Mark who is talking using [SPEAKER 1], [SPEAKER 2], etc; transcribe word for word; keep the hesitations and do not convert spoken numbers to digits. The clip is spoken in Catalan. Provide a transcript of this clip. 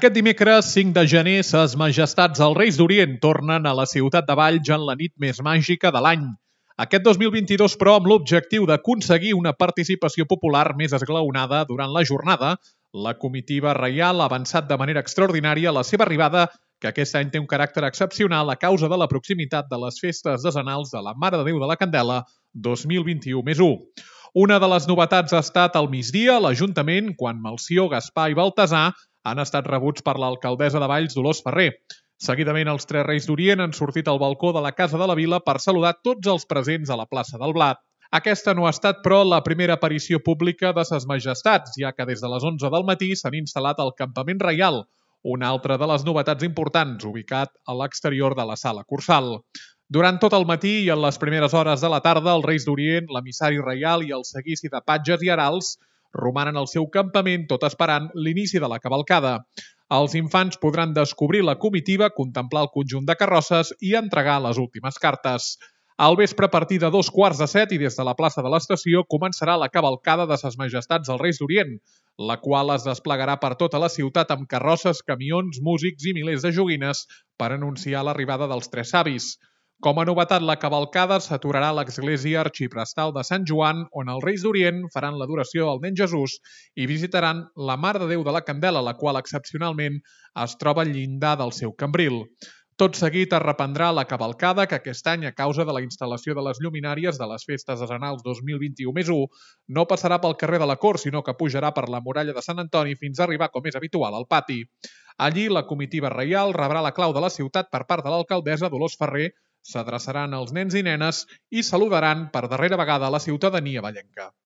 [SPEAKER 1] Aquest dimecres, cinc de gener, ses majestats els Reis d'Orient tornen a la ciutat de Valls en la nit més màgica de l'any. Aquest dos mil vint-i-dos, però, amb l'objectiu d'aconseguir una participació popular més esglaonada durant la jornada, la comitiva reial ha avançat de manera extraordinària la seva arribada, que aquest any té un caràcter excepcional a causa de la proximitat de les festes decenals de la Mare de Déu de la Candela dos mil vint-i-u més u. Una de les novetats ha estat al migdia l'Ajuntament, quan Melcior, Gaspar i Baltasar han estat rebuts per l'alcaldessa de Valls, Dolors Ferrer. Seguidament, els tres Reis d'Orient han sortit al balcó de la Casa de la Vila per saludar tots els presents a la plaça del Blat. Aquesta no ha estat, però, la primera aparició pública de ses majestats, ja que des de les onze del matí s'han instal·lat al Campament Reial, una altra de les novetats importants, ubicat a l'exterior de la sala Cursal. Durant tot el matí i en les primeres hores de la tarda, els Reis d'Orient, l'emissari reial i el seguici de patges i herals romanen al seu campament tot esperant l'inici de la cavalcada. Els infants podran descobrir la comitiva, contemplar el conjunt de carrosses i entregar les últimes cartes. Al vespre, a partir de dos quarts de set i des de la plaça de l'estació, començarà la cavalcada de ses majestats els Reis d'Orient, la qual es desplegarà per tota la ciutat amb carrosses, camions, músics i milers de joguines per anunciar l'arribada dels tres savis. Com a novetat, la cavalcada s'aturarà a l'església arxiprestal de Sant Joan, on els Reis d'Orient faran l'adoració al nen Jesús i visitaran la Mare de Déu de la Candela, la qual excepcionalment es troba al llindar del seu cambril. Tot seguit es reprendrà la cavalcada, que aquest any, a causa de la instal·lació de les lluminàries de les festes decenals dos mil vint-i-u més u, no passarà pel carrer de la Cort, sinó que pujarà per la muralla de Sant Antoni fins a arribar, com és habitual, al pati. Allí, la comitiva reial rebrà la clau de la ciutat per part de l'alcaldessa Dolors Ferrer, s'adreçaran als nens i nenes i saludaran per darrera vegada a la ciutadania vallenca.